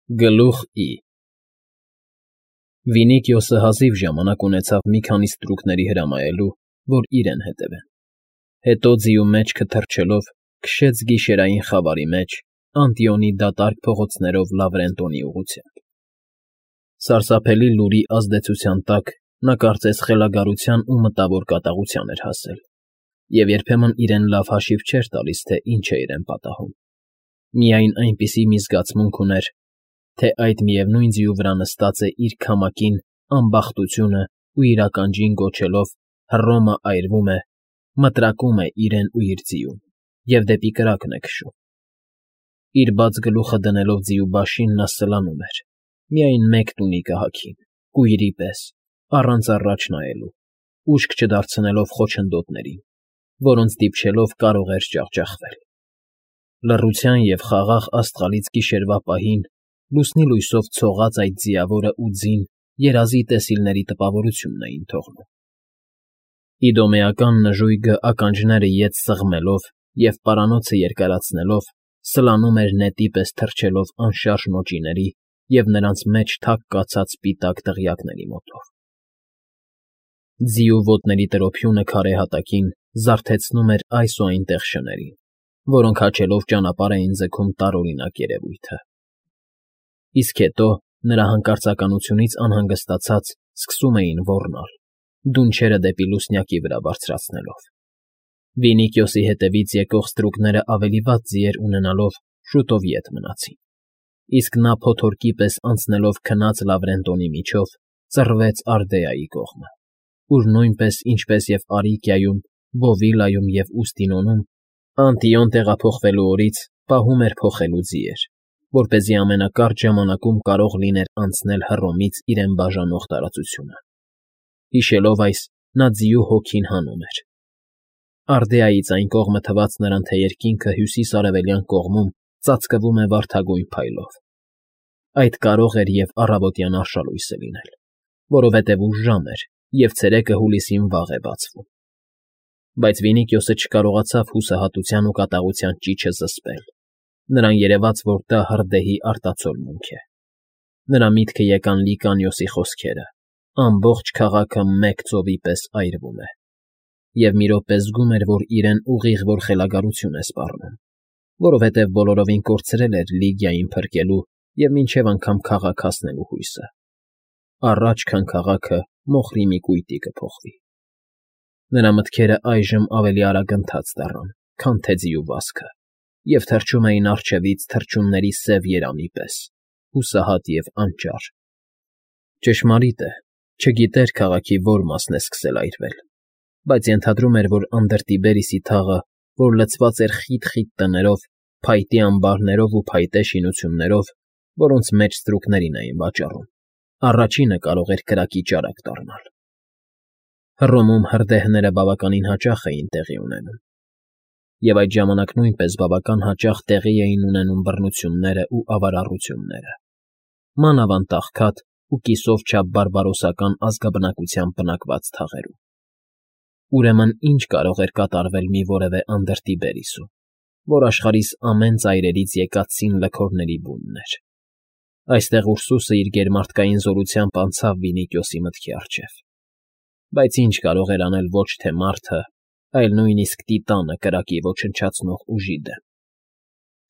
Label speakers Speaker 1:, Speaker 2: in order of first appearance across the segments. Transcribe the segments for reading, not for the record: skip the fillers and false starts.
Speaker 1: Գլուխ I Վինիքիոսը հազիվ ժամանակ ունեցավ մի քանի ստրուկների հրամայելու, որ իրեն հետևեն, հետո ձիու մեջքը թռչելով քշեց գիշերային խավարի մեջ Անտիոնի դատարկ փողոցներով Լավրենտոնի ուղղությամբ։ Սարսափելի լուրի ազդեցության տակ նա կարծես խելագարության ու մտավոր կատաղության էր հասել, և երբեմն իրեն լավ հաշիվ չէր տալիս, թե ինչ է իրեն պատահում։ Միայն այնպիսի մի զգացմունք ուներ, թե այդ միևնույն ձիու վրա նստած է իր քամակին անբախտությունը ու իր ականջին գոչելով Հռոմը այրվում է, մտրակում է իրեն ու իր ձիուն և դեպի կրակն է քշում։ Իր բաց գլուխը դնելով ձիու բաշին նա սլանում էր, միայն մեկ տունիկը հագին, կույրի պես, առանց առաջ նայելու, ուշք չդարձնելով խոչընդոտներին, որոնց դիպչելով կարող էր ջախջախվել։ Լռության և խաղաղ աստղալից գիշերվա պահին լուսնի լույսով ցողած այդ ձիավորը ու ձին երազի տեսիլների տպավորությունն էին թողնում։ Իդոմեական նժույգը ականջները ետ սեղմելով և պարանոցը երկարացնելով սլանում էր նետի պես թռչելով անշարժ նոճիների և նրանց մեջ թակ կացած սպիտակ դղյակների մոտով։ Ձիու ոտների տրոփյունը քարե հատակին զարթեցնում էր այս ու այնտեղ շներին, որոնք հաչելով ճանապարհ էին ձգում տարօրինակ երևույթը։ Իսկ հետո, նրա հանկարծականությունից անհանգստացած, սկսում էին ոռնալ, դունչերը դեպի լուսնյակի վրա բարձրացնելով։ Վինիքիոսի հետևից եկող ստրուկները ավելի վատ ձիեր ունենալով շուտով ետ մնացին, իսկ նա փոթորկի պես անցնելով քնած Լավրենտոնի միջով ծռվեց Արդեայի կողմը, ուր նույնպես, ինչպես և Արիկիայում, Բովիլայում և Ուստինոնում, Անտիոն տեղափոխվելու օրից պահում էր փոխելու ձիեր, որպեսզի ամենակարճ ժամանակում կարող լիներ անցնել Հռոմից իրեն բաժանող տարածությունը։ Հիշելով այս, նա ձիու հոգին հանում էր։ Արդեայից այն կողմը թված նրան, թե երկինքը հյուսիս֊արևելյան կողմում ծածկվում է վարդագույն փայլով։ Այդ կարող էր և առավոտյան արշալույսը լինել, որովհետև ուշ ժամ էր, և ցերեկը հուլիսին վաղ է բացվում։ Բայց Վինիքիոսը չկարողացավ հուսահատության ու կատաղության ճիչը զսպել. նրան երևաց, որ դա հրդեհի արտացոլմունք է։ Նրա միտքը եկան Լիկանիոսի խոսքերը. ամբողջ քաղաքը մեկ ծովի պես այրվում է։ Եվ մի րոպե զգում էր, որ իրեն ուղիղ որ խելագարություն է սպառնում, որովհետև բոլորովին կորցրել էր Լիգիային փրկելու և մինչև անգամ քաղաք հասնելու հույսը։ Առաջ, քան քաղաքը մոխրի մի կույտի կփոխվի։ Նրա մտքերը այժմ ավելի արագընթաց դառան, քան թե ձիու վազքը, և թռչում էին առջևից թռչունների սև երամի պես, հուսահատ և անճար։ Ճշմարիտ է, չգիտեր քաղաքի որ մասն է սկսել այրվել, բայց ենթադրում էր, որ Անդրտիբերիսի թաղը, որ լցված էր խիտ տներով, փայտի ամբարներով ու փայտե շինություններով, որոնց մեջ ստրուկներին էին վաճառում, առաջինը կարող էր կրակի ճարակ դառնալ։ Հռոմում հրդեհները բավականին հաճախ էին տեղի ունենում, և այդ ժամանակ նույնպես բավական հաճախ տեղի էին ունենում բռնությունները ու ավարառությունները, մանավանդ աղքատ ու կիսով չափ բարբարոսական ազգաբնակությամբ բնակված թաղերում։ Ուրեմն ի՞նչ կարող էր կատարվել մի որևէ Անդրտիբերիսում, որ աշխարհիս ամեն ծայրերից եկած լքորների բունն էր։ Այստեղ Ուրսուսը իր գերմարտկային զորությամբ անցավ Վինիքիոսի մտքի առջև, բայց ինչ կարող էր անել ոչ թե մարդը, այլ նույնիսկ Տիտանը կրակի ոչնչացնող ուժի դեմ։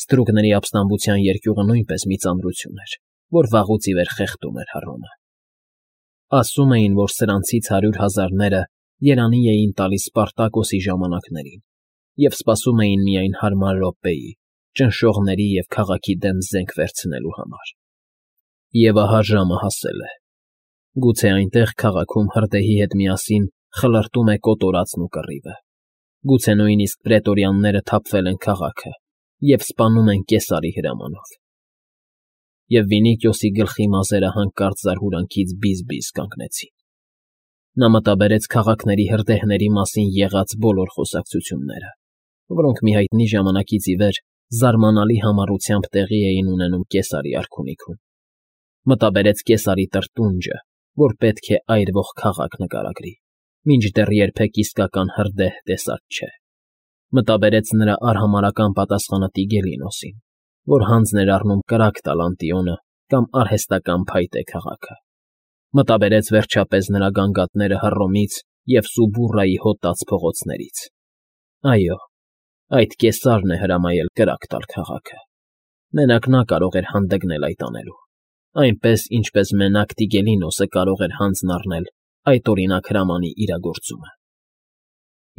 Speaker 1: Ստրուկների ապստամբության երկյուղը նույնպես մի ծանրություն էր, որ վաղուց ի վեր խեղդում էր Հռոմը։ Ասում էին, որ սրանցից 100,000-ները երանի էին տալիս Սպարտակոսի ժամանակներին և սպասում էին միայն հարմար րոպեի, ճնշողների և քաղաքի դեմ զենք վերցնելու համար։ Եվ ահա ժամը հասել է։ Գուցե այնտեղ քաղաքում հրդեհի հետ միասին խլրտում է կոտորածն ու կռիվը։ Գուցե նույնիսկ պրետորյանները թափվել են քաղաքը և սպանում են Կեսարի հրամանով։ Եվ Վինիքիոսի գլխի մազերը հանկարծ զարհուրանքից բիզ կանգնեցին։ Նա մտաբերեց քաղաքների հրդեհների մասին եղած բոլոր խոսակցությունները, որոնք մի հայտնի ժամանակից ի վեր զարմանալի համառությամբ տեղի էին ունենում Կեսարի արքունիքում։ Մտաբերեց Կեսարի տրտունջը, որ պետք է այրվող քաղաք նկարագրի, մինչդեռ երբեք իսկական հրդեհ տեսած չէ։ Մտաբերեց նրա արհամարհական պատասխանը Տիգելինոսին, որ հանձն էր առնում կրակ տալ Անտիոնը կամ արհեստական փայտ է քաղաքը։ Մտաբերեց վերջապես նրա գանգատները Հռոմից և Սուբուրրայի հոտած փողոցներից։ Այո, այդ կեսարն է հրամայել կրակ տալ քաղաքը։ Մենակ նա կարող էր հանդգնել այդ անելու, այնպես, ինչպես մենակ Տիգելինոսը կարող էր հանձն առնել այդ օրինակ հրամանի իրագործումը։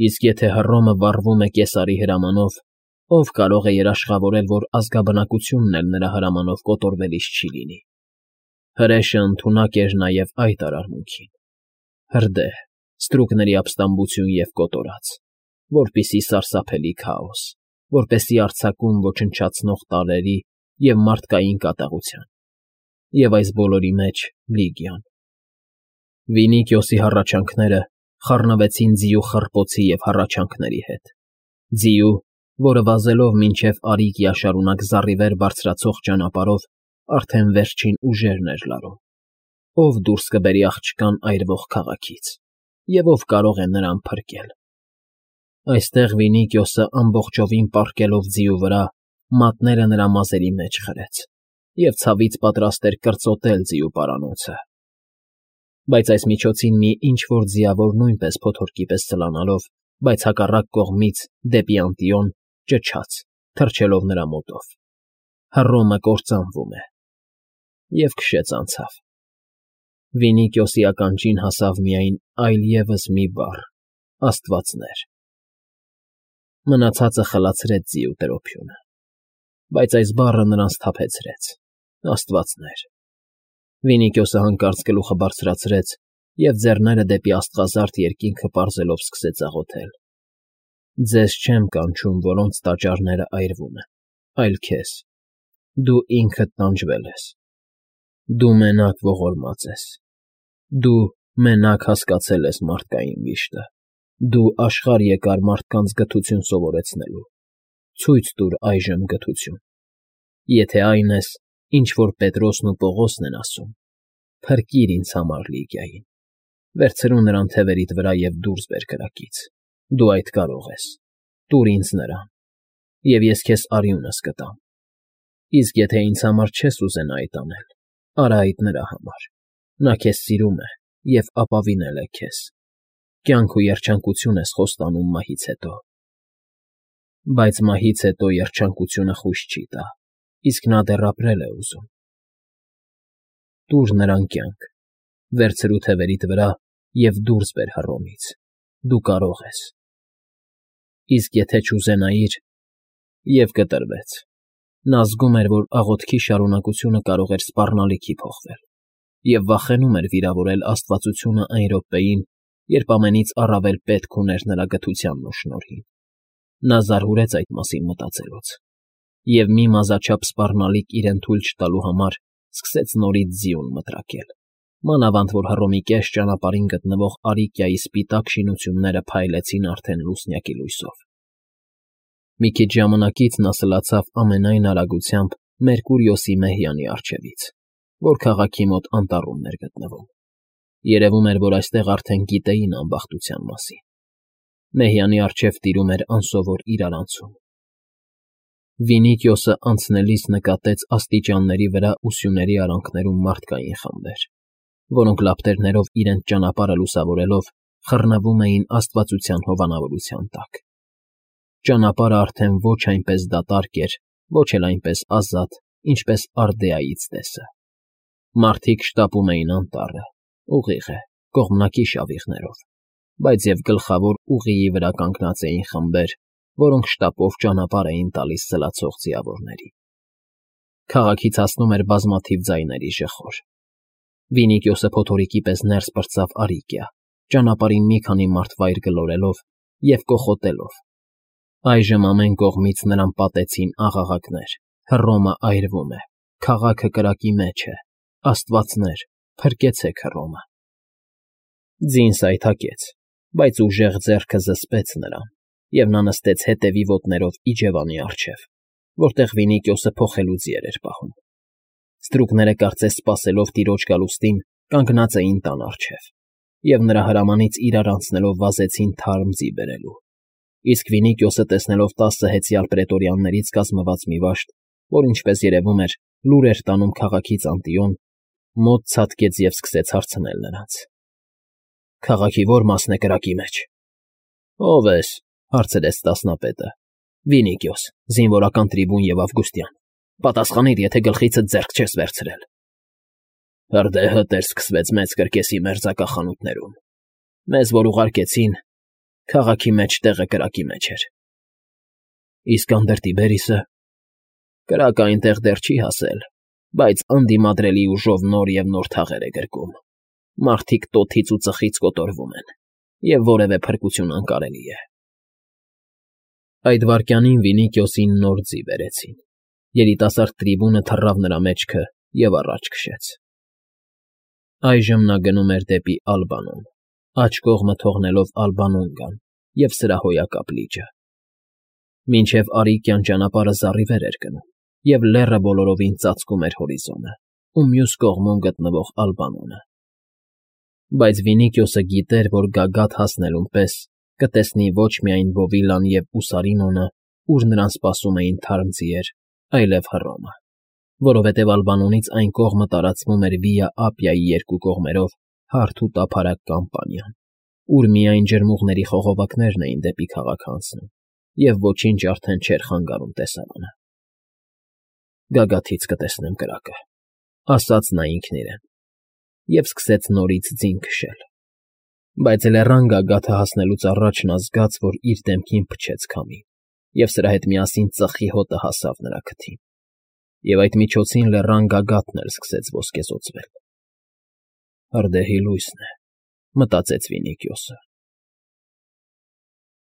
Speaker 1: Իսկ եթե Հռոմը վառվում է կեսարի հրամանով, ով կարող է երաշխավորել, որ ազգաբնակությունն էլ նրա հրամանով կոտորվելիս չի լինի։ Հրեշը ընդունակ էր նաև այդ արարմունքին։ Հրդեհ, ստրուկների ապստամբություն և կոտորած, որպիսի սարսափելի քաոս, որպեսզի արձակում ոչնչացնող տարրերի և մարդկային կատաղության, և այս բոլորի մեջ Լիգիան։ Վինիկիոսի հառաչանքները խառնվեցին ձիու խռպոցի և հառաչանքների հետ, ձիու, որը վազելով մինչև Արիկիա շարունակ զառիվեր բարձրացող ճանապարհով արդեն վերջին ուժերն էր լարում։ Ով դուրս կբերի աղջկան այրվող քաղաքից, և ով կարող է նրան փրկել։ Այստեղ Վինիկիոսը ամբողջովին պառկելով ձիու վրա, մատները նրա մազերի մեջ խրեց և ցավից պատրաստ էր կրծոտել ձիու պարանոցը։ Բայց այս միջոցին մի ինչ֊որ ձիավոր նույնպես փոթորկի պես ցլանալով, բայց հակառակ կողմից դեպի Անտիոն, ճչաց, թռչելով նրա մոտով. Հռոմը կործանվում է, և քշեց անցավ։ Վինիկիոսի ականջին հասավ միայն այլ ևս մի բառ. աստվածներ։ Մնացածը խլացրեց ձիու տրոփյունը, բայց այս բառը նրան սթափեցրեց. աստվածներ։ Վինիկիոսը հանկարծ գլուխը բարձրացրեց և ձեռները դեպի աստղազարդ երկինքը պարզելով սկսեց աղոթել. Ձեզ չեմ կանչում, որոնց տաճարները այրվում են, այլ քեզ. դու ինքդ տանջվել ես, դու մենակ ողորմած ես, դու մենակ հասկացել ես մարդկային վիշտը, դու աշխարհ եկար մարդկանց գթություն սովորեցնելու, ցույց տուր այժմ գթություն, եթե այն ես, ինչ որ Պետրոսն ու Պողոսն են ասում, փրկիր ինձ համար Լիգիային, վերցրու նրան թևերիդ վրա և դուրս բեր կրակից, դու այդ կարող ես, տուր ինձ նրան, և ես քեզ արյունս կտամ, իսկ եթե ինձ համար չես ուզենա այդ անել, արա այդ նրա համար, նա քեզ սիրում է և ապավինել է քեզ, կյանք ու երջանկություն ես խոստանում մահից հետո։ Բայց մահից հետո երջանկությունը խույս չի տա, իսկ նա դեռ ապրել է ուզում։ Տուր նրան կյանք, վերցրու թևերիդ վրա և դուրս բեր Հռոմից, դու կարող ես։ Իսկ եթե չուզենայիր, և կտրվեց, նա զգում էր, որ աղոթքի շարունակությունը կարող էր սպառնալիքի փոխվել, և վախենում էր վիրավորել աստվածությունը այն րոպեին, երբ ամենից առավել պետք ուներ նրա գթությանն ու շնորհին։ Նա զարհուրեց այդ մասին մտածելուց, և մի մազաչափ սպառնալիք իրեն թույլ չտալու համար սկսեց նորից ձիուն մտրակել, մանավանդ որ Հռոմի կես ճանապարհին գտնվող Արիկիայի սպիտակ շինությունները փայլեցին արդեն լուսնյակի լույսով։ Մի քիչ ժամանակից նա սլացավ ամենայն արագությամբ Մերկուրիոսի մեհյանի առջևից, որ քաղաքի մոտ անտառումն էր գտնվում։ Երևում էր, որ այստեղ արդեն գիտեին անբախտության մասին։ Մեհյանի առջև տիրում էր անսովոր իրարանցում։ Վինիկիոսը անցնելիս նկատեց աստիճանների վրա ու սյուների արանքներում մարդկային խմբեր, որոնք լապտերներով իրենց ճանապարհը լուսավորելով խռնվում էին աստվածության հովանավորության տակ։ Ճանապարհը արդեն ոչ այնպես դատարկ էր, ոչ էլ այնպես ազատ, ինչպես Արդեայից տեսը։ Մարդիկ շտապում էին անտառը, ուղիղ է, կողմնակի շավիղներով, բայց և գլխավոր ուղիի վրա կանգնած էին խմբեր, որոնք շտապով ճանապարհ էին տալիս սլացող ձիավորներին։ Քաղաքից հասնում էր բազմաթիվ ձայների ժխոր։ Վինիկիոսը փոթորիկի պես ներս պրծավ Արիկիա, ճանապարհին մի քանի մարդվայր գլորելով և կոխոտելով։ Այժմ ամեն կողմից նրան պատեցին աղաղակներ. Հռոմը այրվում է, քաղաքը կրակի մեջ է, աստվածներ, փրկեցեք Հռոմը։ Ձին սայթաքեց, բայց ուժեղ ձեռքը զսպեց նրան, և նա նստեց հետևի ոտներով իջևանի առջև, որտեղ Վինիկիոսը փոխելու ձիեր էր պահում։ Ստրուկները կարծես սպասելով տիրոջ գալուստին, կանգնած էին տան առջև, և նրա հրամանից իրար անցնելով վազեցին թարմ ձի բերելու։ Իսկ Վինիկիոսը տեսնելով 10 հեծյալ պրետորյաններից կազմված մի վաշտ, որ ինչպես երևում էր, լուր էր տանում քաղաքից Անտիոն, մոտ ցատկեց և սկսեց հարցնել նրանց. Քաղաքի ո՞ր մասն է կրակի մեջ։ Ո՞վ ես,֊ հարցրեց տասնապետը։ Վինիկիոս, զինվորական տրիբուն և Ավգուստյան, պատասխանիր, եթե գլխիցդ ձեռք չես վերցրել։ Հրդեհը սկսվեց մեծ կրկեսի մերձակա խանութներում։ Մեզ, որ ուղարկեցին, քաղաքի մեջ տեղը կրակի մեջ էր։ Իսկ անդր Տիբերիսը։ Կրակը այնտեղ դեռ չի հասել, բայց անդիմադրելի ուժով նոր և նոր թաղեր է գրկում։ Մարդիկ տոթից ու ծխից կոտորվում են, և որևէ փրկություն անկարելի է։ Այդ վայրկյանին Վինիկիոսին նոր ձի բերեցին։ Երիտասարդ տրիբունը թռավ նրա մեջքը և առաջ քշեց։ Այժմ նա գնում էր դեպի Ալբանոն, աջ կողմը թողնելով Ալբանոնգան և սրահոյակապ լիճը։ Մինչև Արիկյան ճանապարհը զառիվեր էր գնում, և լեռը բոլորովին ծածկում էր հորիզոնը ու մյուս կողմում գտնվող Ալբանոնը։ Բայց Վինիկիոսը գիտեր, որ գագաթ հասնելուն պես կտեսնի ոչ միայն Բովիլան և Ուսարինոնը, ուր նրան սպասում էին թարմ ձիեր, այլև Հռոմը, որովհետև Ալբանոնից այն կողմը տարածվում էր Վիա Ապիայի երկու կողմերով հարթ ու տափարակ Կամպանիան, ուր միայն ջրմուղների խողովակներն էին դեպի քաղաք անցնում, և ոչինչ արդեն չէր խանգարում տեսարանը։ Գագաթից կտեսնեմ կրակը,֊ ասաց նա ինքն իրեն, և սկսեց նորից ձին քշել։ Բայց լեռան գագաթը հասնելուց առաջ նա զգաց, որ իր դեմքին փչեց քամի, և սրա հետ միասին ծխի հոտը հասավ նրա քթին, և այդ միջոցին լեռան գագաթն էլ սկսեց ոսկեզօծվել։ Հրդեհի լույսն է,֊ մտածեց Վինիկիոսը։